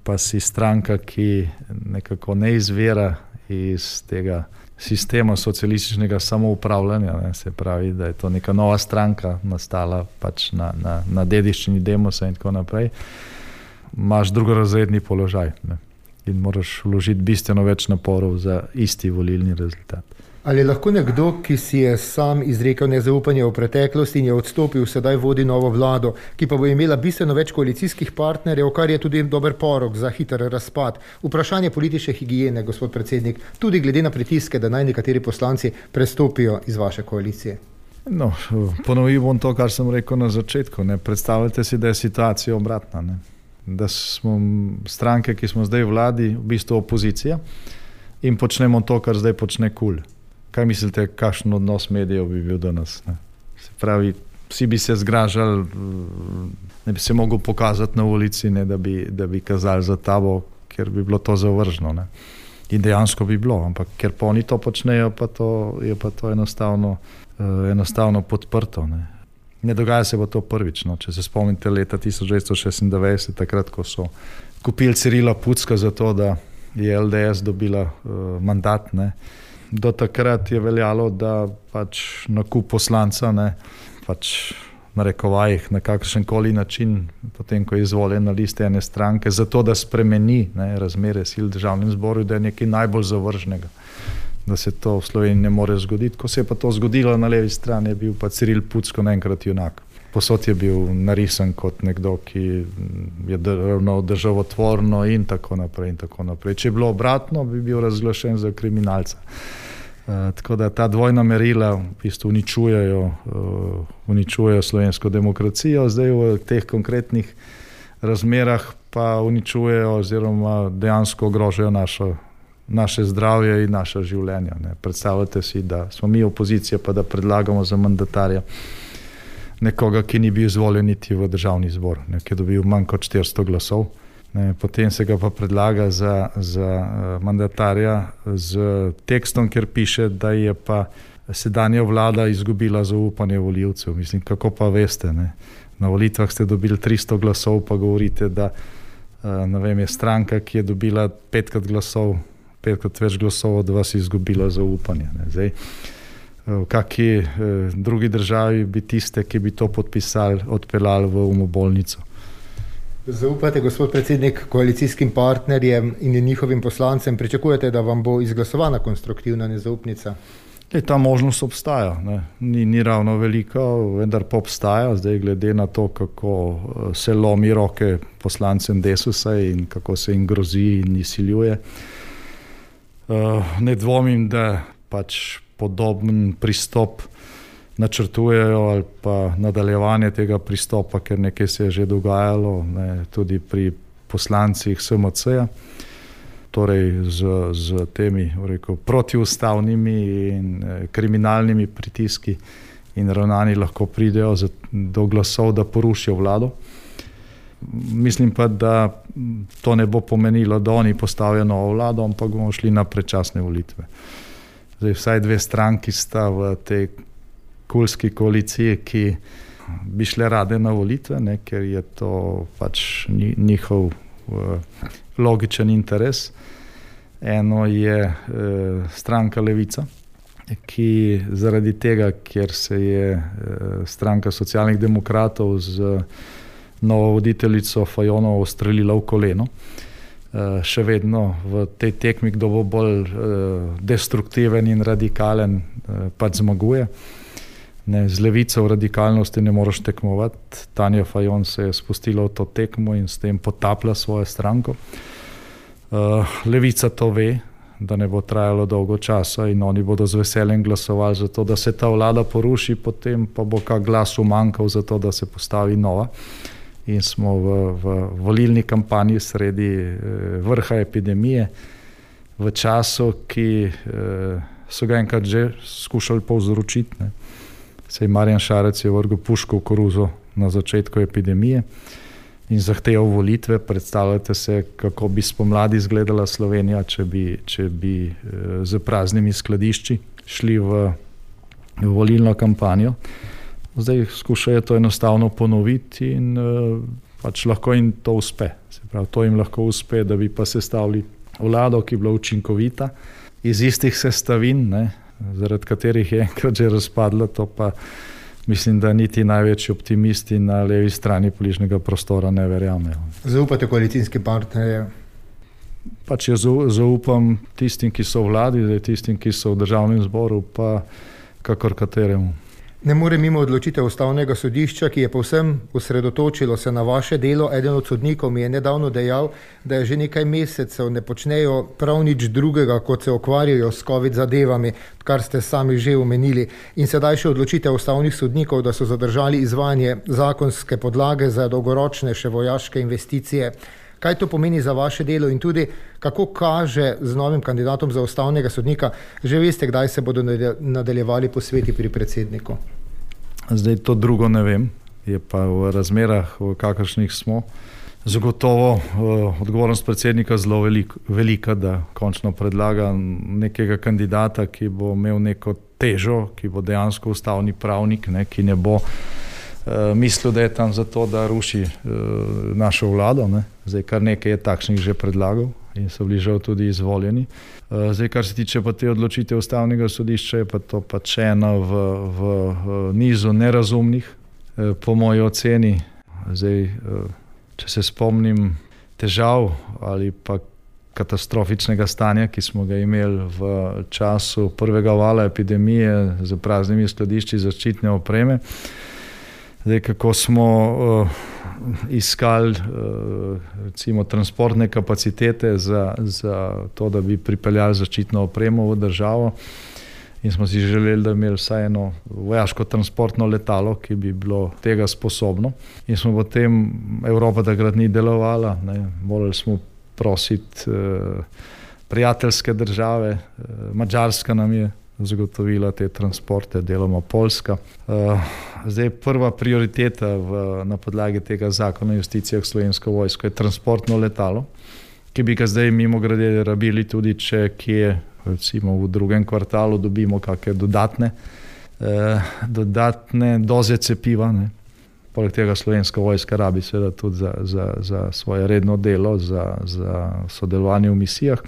C: pa si stranka, ki nekako ne izvira iz tega sistema socialističnega samoupravljanja, ne, se pravi, da je to neka nova stranka nastala pač na dediščini Demosa in tako naprej, imaš drugorazredni položaj, ne, in moraš vložiti bistveno več naporov za isti volilni rezultat.
B: Ali lahko nekdo, ki si je sam izrekel nezaupanje v preteklosti in je odstopil, sedaj vodi novo vlado, ki pa bo imela bistveno več koalicijskih partnerjev, kar je tudi dober porok za hiter razpad? Vprašanje politične higiene, gospod predsednik, tudi glede na pritiske, da naj nekateri poslanci prestopijo iz vaše koalicije.
C: No, ponovil bom to, kar sem rekel na začetku. Ne. Predstavljate si, da je situacija obratna. Ne. Da smo stranke, ki smo zdaj v vladi, v bistvu opozicija in počnemo to, kar zdaj počne KUL. Kaj mislite, kakšen odnos medijev bi bil do nas? Ne? Se pravi, vsi bi se zgražali, ne bi se mogel pokazati na ulici, ne, da bi kazali za tabo, ker bi bilo to zavržno. Ne? In dejansko bi bilo, ampak ker pa oni to počnejo, je pa to enostavno podprto. Ne dogaja se pa to prvič. No? Če se spomnite leta 1996, takrat, ko so kupili Cirila Pucka za to, da je LDS dobila mandat, ne? Do takrat je veljalo, da pač nakup poslanca, ne, pač narekovajih na kakšenkoli način, potem ko je izvoljen na liste ene stranke, zato da spremeni, ne, razmere sil v državnem zboru, da je nekaj najbolj zavržnega. da se to v Sloveniji ne more zgoditi. Ko se je pa to zgodilo na levi strani, je bil pa Ciril Pucko naenkrat junak. Posod je bil narisan kot nekdo, ki je ravnal državotvorno in tako naprej in tako naprej. Če je bilo obratno, bi bil razglašen za kriminalca. Tako da ta dvojna merila v bistvu uničujejo slovensko demokracijo, zdaj v teh konkretnih razmerah pa uničujejo oziroma dejansko ogrožajo naše zdravje in naša življenja. Ne. Predstavljate si, da smo mi opozicija, pa da predlagamo za mandatarja nekoga, ki ni bil izvoljen niti v državni zbor, ne, ki je dobil manj kot 400 glasov. Ne, potem se ga pa predlaga za mandatarja z tekstom, kjer piše, da je pa sedanja vlada izgubila zaupanje volivcev. Mislim, kako pa veste, ne? Na volitvah ste dobili 300 glasov, pa govorite, da je stranka, ki je dobila 5krat več glasov od vas, izgubila zaupanje. Ne? Zdaj, v kakšni drugi državi bi tiste, ki bi to podpisali, odpeljali v umobolnico.
B: Zaupate, gospod predsednik, koalicijskim partnerjem in njihovim poslancem, pričakujete, da vam bo izglasovana konstruktivna nezaupnica?
C: Ta možnost obstaja. Ne. Ni ravno velika, vendar pa obstaja. Zdaj, glede na to, kako se lomi roke poslancem Desusa in kako se jim grozi in izsiljuje, ne dvomim, da pač podoben pristop načrtujejo ali pa nadaljevanje tega pristopa, ker nekaj se je že dogajalo, ne, tudi pri poslancih SMC-ja, torej z temi protiustavnimi in kriminalnimi pritiski in ravnani lahko pridejo do glasov, da porušijo vlado. Mislim pa, da to ne bo pomenilo, da oni postavijo novo vlado, ampak bomo šli na predčasne volitve. Zdaj, vsaj 2 stranki sta v tej kulski koaliciji, ki bi šle rade na volitve, ne, ker je to pač njihov logičen interes. Eno je stranka Levica, ki zaradi tega, ker se je stranka socialnih demokratov z novo voditeljico Fajonovo ustrelila v koleno, še vedno v tej tekmi, kdo bo bolj destruktiven in radikalen, pač zmaguje. Ne, z Levico v radikalnosti ne moreš tekmovati. Tanja Fajon se je spustila v to tekmo in s tem potapla svojo stranko. Levica to ve, da ne bo trajalo dolgo časa in oni bodo z veseljem glasovali za to, da se ta vlada poruši, potem pa bo kak glas umanjkal za to, da se postavi nova. In smo v volilni kampanji sredi vrha epidemije, v času, ki so ga enkrat že skušali povzročiti. Ne. Sej Marjan Šarec je vrgel puško v koruzo na začetku epidemije in zahteval volitve. Predstavljate se, kako bi spomladi izgledala Slovenija, če bi z praznimi skladišči šli v volilno kampanjo. Zdaj skušajo to enostavno ponoviti in pač lahko jim to uspe. Se pravi, to jim lahko uspe, da bi pa sestavili vlado, ki je bila učinkovita, iz istih sestavin, ne, zaradi katerih je enkrat že razpadla, to pa mislim, da niti največji optimisti na levi strani političnega prostora ne verjamejo.
B: Zaupate koalicijskim partnerjem?
C: Pač jaz zaupam tistim, ki so v vladi, tistim, ki so v državnem zboru, pa kakor kateremu.
B: Ne more mimo odločitev Ustavnega sodišča, ki je povsem osredotočilo se na vaše delo. Eden od sodnikov mi je nedavno dejal, da je že nekaj mesecev ne počnejo prav nič drugega, kot se ukvarjajo s COVID zadevami, kar ste sami že omenili. In sedaj še odločitev ustavnih sodnikov, da so zadržali izvajanje zakonske podlage za dolgoročne še vojaške investicije. Kaj to pomeni za vaše delo in tudi kako kaže z novim kandidatom za ustavnega sodnika? Že veste, kdaj se bodo nadaljevali posveti pri predsedniku?
C: Zdaj to drugo ne vem, je pa v razmerah, v kakršnih smo, zagotovo odgovornost predsednika zelo velika, da končno predlaga nekega kandidata, ki bo imel neko težo, ki bo dejansko ustavni pravnik, ne, ki ne bo mislil, da je tam zato, da ruši našo vlado. Ne. Zdaj, kar nekaj je takšnih že predlagal in so bili žal tudi izvoljeni. Zdaj, kar se tiče pa te odločitve Ustavnega sodišča, je pa to pač ena v nizu nerazumnih, po moji oceni. Zdaj, če se spomnim težav ali pa katastrofičnega stanja, ki smo ga imeli v času prvega vala epidemije z praznimi skladišči zaščitne opreme. Zdaj, kako smo iskali recimo transportne kapacitete za to, da bi pripeljali zaščitno opremo v državo, in smo si želeli, da bi imeli vsaj eno vojaško transportno letalo, ki bi bilo tega sposobno. In smo potem, Evropa takrat ni delovala, morali smo prositi prijateljske države, Madžarska nam je zagotovila te transporte, deloma Poljska. Zdaj prva prioriteta na podlagi tega zakona o investicijah v Slovensko vojsko je transportno letalo, ki bi ga zdaj mimogrede rabili tudi, če kje recimo v drugem kvartalu dobimo kakšne dodatne doze cepiva. Poleg tega Slovenska vojska rabi seveda tudi za svoje redno delo, za sodelovanje v misijah.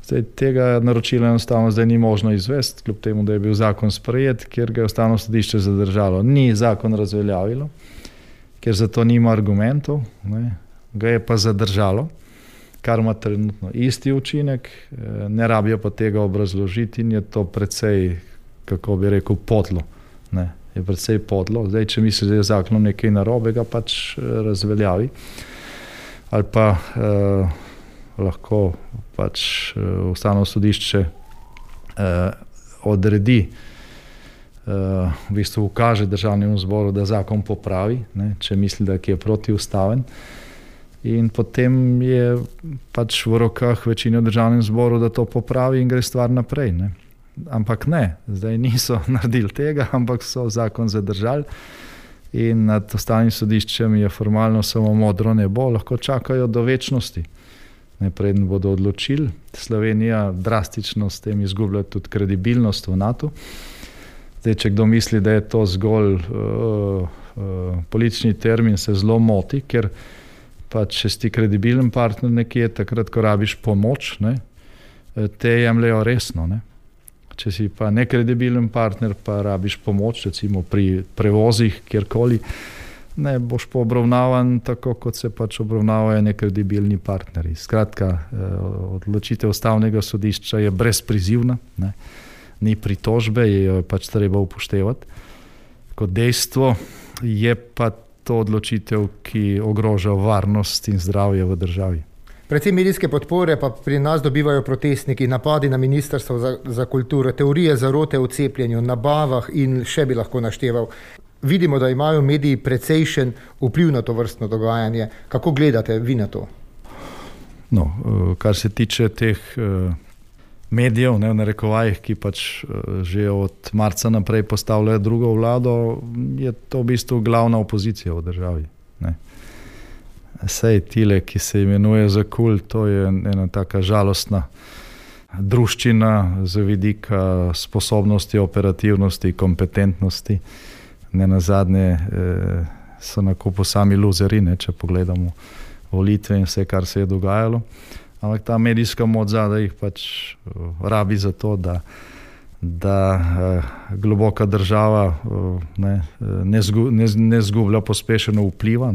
C: Zdaj, tega naročila enostavno zdaj ni možno izvesti, kljub temu, da je bil zakon sprejet, ker ga je Ustavno sodišče zadržalo. Ni zakon razveljavilo, ker za to nima argumentov, ga je pa zadržalo, kar ima trenutno isti učinek, ne rabijo pa tega obrazložiti in je to precej, kako bi rekel, podlo. Je precej podlo. Zdaj, če misli, da je zakonom nekaj narobe, ga pač razveljavi. Ali pa lahko pač Ustavno sodišče odredi, v bistvu ukaže Državnemu zboru, da zakon popravi, če misli, da je protiustaven. In potem je pač v rokah večine v Državnem zboru, da to popravi in gre stvar naprej. Ampak ne, zdaj niso naredili tega, ampak so zakon zadržali in nad Ustavnim sodiščem je formalno samo modro nebo, lahko čakajo do večnosti. Preden bodo odločili. Slovenija drastično s tem izgublja tudi kredibilnost v NATO. Zdaj, če kdo misli, da je to zgolj politični termin, se zelo moti, ker pa če si kredibilen partner nekje, takrat, ko rabiš pomoč, te jemljajo resno. Če si pa nekredibilen partner, pa rabiš pomoč, recimo pri prevozih, kjerkoli, boš pa obravnavan tako, kot se pač obravnavajo nekredibilni partnerji. Skratka, odločitev Ustavnega sodišča je brezprizivna, ni pritožbe, jo je pač treba upoštevati. Kot dejstvo je pa to odločitev, ki ogroža varnost in zdravje v državi.
B: Predvsem medijske podpore pa pri nas dobivajo protestniki, napadi na Ministrstvo za kulturo, teorije zarote o cepljenju, nabavah in še bi lahko našteval. Vidimo, da imajo mediji precejšen vpliv na to vrstno dogajanje. Kako gledate vi na to?
C: Kar se tiče teh medijev, v narekovajih, ki pač že od marca naprej postavljajo drugo vlado, je to v bistvu glavna opozicija v državi. Sej tile, ki se imenuje za KUL, to je ena taka žalostna druščina z vidika sposobnosti, operativnosti, kompetentnosti. Nenazadnje so na kupu sami luzeri, če pogledamo volitve in vse, kar se je dogajalo. Ampak ta medijska moč zadaj jih pač rabi za to, da globoka država ne zgublja pospešeno vpliva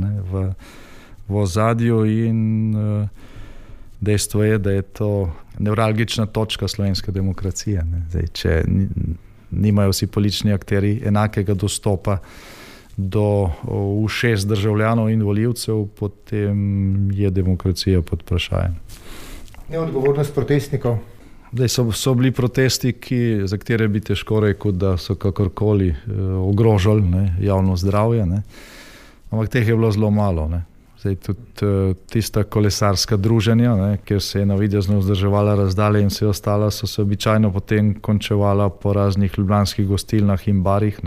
C: v ozadju in dejstvo je, da je to nevralgična točka slovenske demokracije. Zdaj, če nimajo vsi politični akterji enakega dostopa do ušes državljanov in volivcev, potem je demokracija pod vprašajem.
B: Neodgovornost protestnikov?
C: Zdaj so bili protesti, za katere bi težko rekel, da so kakorkoli ogrožali javno zdravje, ampak teh je bilo zelo malo. Zdaj tudi tista kolesarska druženja, kjer se je navidezno vzdrževala razdalja in vse ostalo, so se običajno potem končevala po raznih ljubljanskih gostilnah in barih,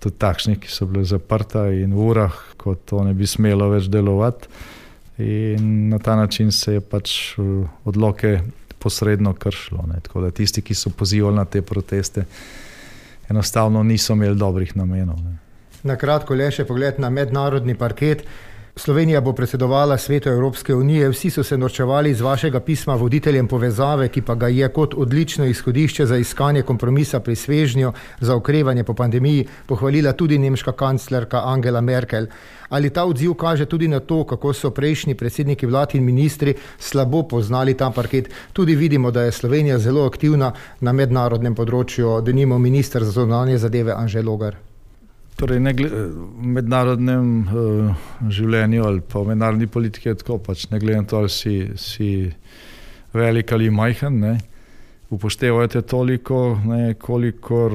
C: tudi takšnih, ki so bile zaprta in v urah, ko to ne bi smelo več delovati. In na ta način se je pač odloke posredno kršilo. Tako da tisti, ki so pozivali na te proteste, enostavno niso imeli dobrih namenov.
B: Na kratko le še pogled na mednarodni parket. Slovenija bo predsedovala Svetu Evropske unije, vsi so se norčevali iz vašega pisma voditeljem povezave, ki pa ga je kot odlično izhodišče za iskanje kompromisa pri svežnju za okrevanje po pandemiji pohvalila tudi nemška kanclerka Angela Merkel. Ali ta odziv kaže tudi na to, kako so prejšnji predsedniki vlad in ministri slabo poznali ta parket? Tudi vidimo, da je Slovenija zelo aktivna na mednarodnem področju, denimo minister za zunanje zadeve Anže Logar.
C: Torej, v mednarodnem življenju ali pa v mednarodni politiki je tako, pač ne glede na to, ali si velik ali majhen, ne, upoštevajte toliko, ne, kolikor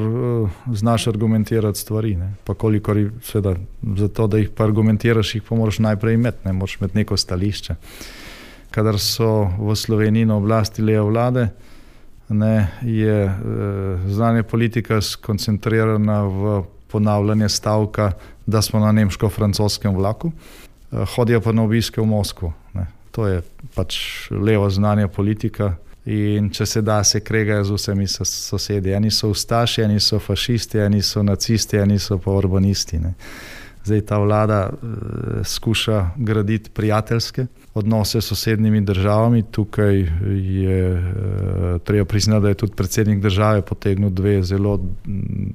C: znaš argumentirati stvari, ne, pa kolikor seveda, zato, da jih pa argumentiraš, jih pa moraš najprej imeti, ne, moraš imeti neko stališče. Kadar so v Sloveniji na oblasti leve vlade, ne, je zunanja politika skoncentrirana v ponavljanje stavka, da smo na nemško-francoskem vlaku, hodijo pa na obiske v Moskvo. Ne. To je pač leva zunanja politika in če se da, se kregajo z vsemi sosedi. Eni so ustaši, eni so fašisti, eni so nacisti, eni so pa urbanisti. Ne. Zdaj ta vlada skuša graditi prijateljske odnose s sosednjimi državami. Tukaj je treba priznati, da je tudi predsednik države potegnil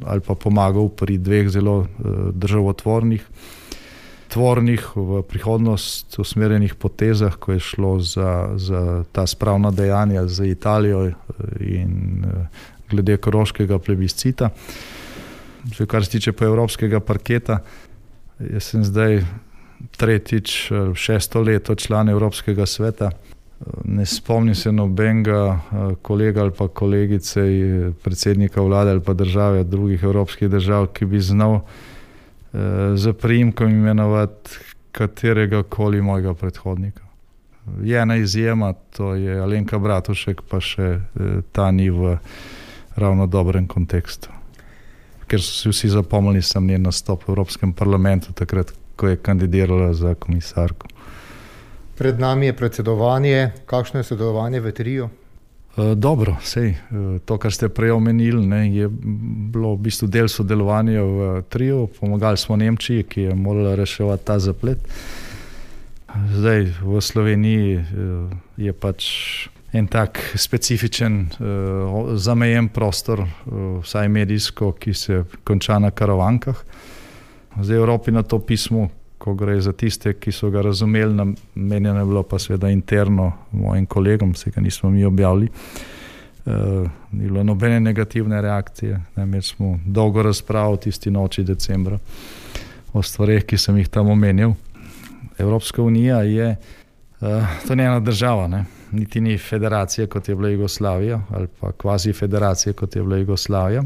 C: ali pa pomagal pri dveh zelo državotvornih, v prihodnost usmerjenih potezah, ko je šlo za ta spravna dejanja z Italijo in glede koroškega plebiscita. Kar se tiče pa evropskega parketa, jaz sem zdaj tretjič, 6. leto član Evropskega sveta. Ne spomnim se nobenega kolega ali pa kolegice, predsednika vlade ali pa države, drugih evropskih držav, ki bi znal za priimkom imenovati katerega koli mojega predhodnika. Je ena izjema, to je Alenka Bratušek, pa še ta ni v ravno dobrem kontekstu. Ker so si vsi zapomnili sem njen nastop v Evropskem parlamentu takrat, ko je kandidirala za komisarko.
B: Pred nami je predsedovanje. Kakšno je sodelovanje v triu?
C: Dobro, sej, to, kar ste prej omenili, ne, je bilo v bistvu del sodelovanja v triu. Pomagali smo Nemčiji, ki je morala reševati ta zaplet. Zdaj v Sloveniji je pač en tak specifičen, zamejen prostor, vsaj medijsko, ki se konča na Karavankah. Zdaj v Evropi na to pismo, ko gre za tiste, ki so ga razumeli, namenjeno je bilo pa seveda interno mojim kolegom, se ga nismo mi objavili. Ni bilo nobene negativne reakcije. Imeli smo dolgo razpravo tisti noči decembra o stvareh, ki sem jih tam omenil. Evropska unija je, to ni ena država, ne? Niti ni federacija, kot je bila Jugoslavija, ali pa kvazi federacija, kot je bila Jugoslavija.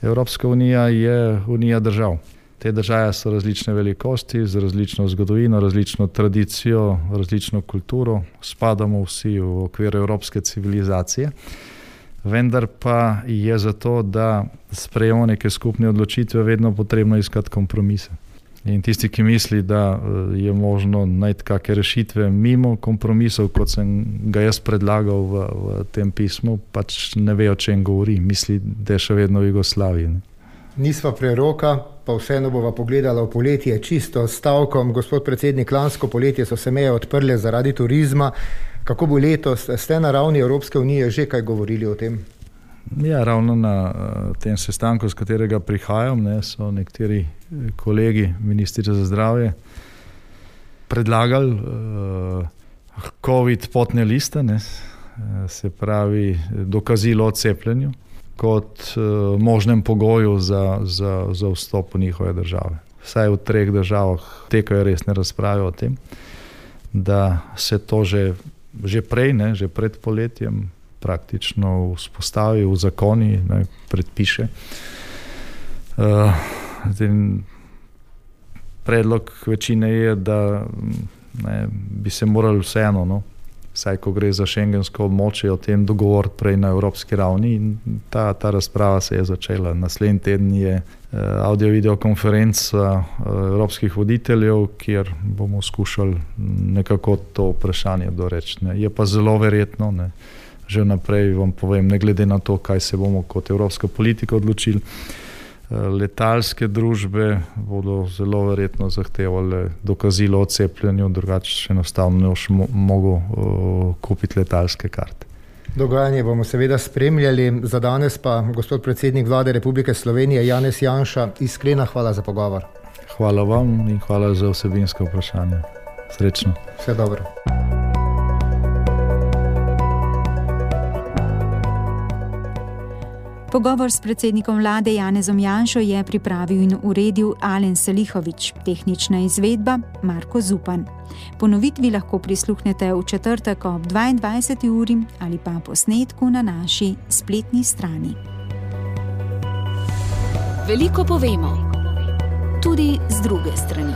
C: Evropska unija je unija držav. Te države so različne velikosti, z različno zgodovino, različno tradicijo, različno kulturo. Spadamo vsi v okvir evropske civilizacije, vendar pa je zato, da sprejemo neke skupne odločitve, vedno potrebno iskati kompromise. In tisti, ki misli, da je možno najti kakšne rešitve mimo kompromisov, kot sem ga jaz predlagal v tem pismu, pač ne ve, o čem govori. Misli, da je še vedno v Jugoslaviji.
B: Nisva preroka, pa vseeno bova pogledala v poletje čisto s stavkom. Gospod predsednik, lansko poletje so se meje odprle zaradi turizma. Kako bo letos? Ste na ravni Evropske unije že kaj govorili o tem?
C: Ja, ravno na tem sestanku, z katerega prihajam, ne, so nekateri kolegi, ministri za zdravje, predlagali COVID potne liste, ne, se pravi dokazilo o cepljenju, kot možnem pogoju za vstop v njihove države. Vsaj v 3 državah tekajo resne razprave o tem, da se to že prej, ne, že pred poletjem praktično vzpostavi v zakoni, ne, predpiše. Predlog večine je, da ne, bi se morali vseeno, no, vsaj ko gre za šengensko območje, o tem dogovoriti prej na evropski ravni, in ta razprava se je začela. Naslednji teden je audio-video konferenca evropskih voditeljev, kjer bomo skušali nekako to vprašanje doreči. Ne. Je pa zelo verjetno, ne, že naprej vam povem, ne glede na to, kaj se bomo kot evropska politika odločili, Letalske družbe bodo zelo verjetno zahtevali dokazilo o cepljenju, drugače enostavno ne boš mogel kupiti letalske karte.
B: Dogajanje bomo seveda spremljali. Za danes pa, gospod predsednik Vlade Republike Slovenije Janez Janša, iskrena hvala za pogovor.
C: Hvala vam in hvala za vsebinsko vprašanje. Srečno.
B: Vse dobro.
A: Pogovor s predsednikom vlade Janezom Janšo je pripravil in uredil Alen Selihovič, tehnična izvedba Marko Zupan. Ponovitvi lahko prisluhnete v četrtek ob 22. uri ali pa posnetku na naši spletni strani.
D: Veliko povemo, tudi z druge strani.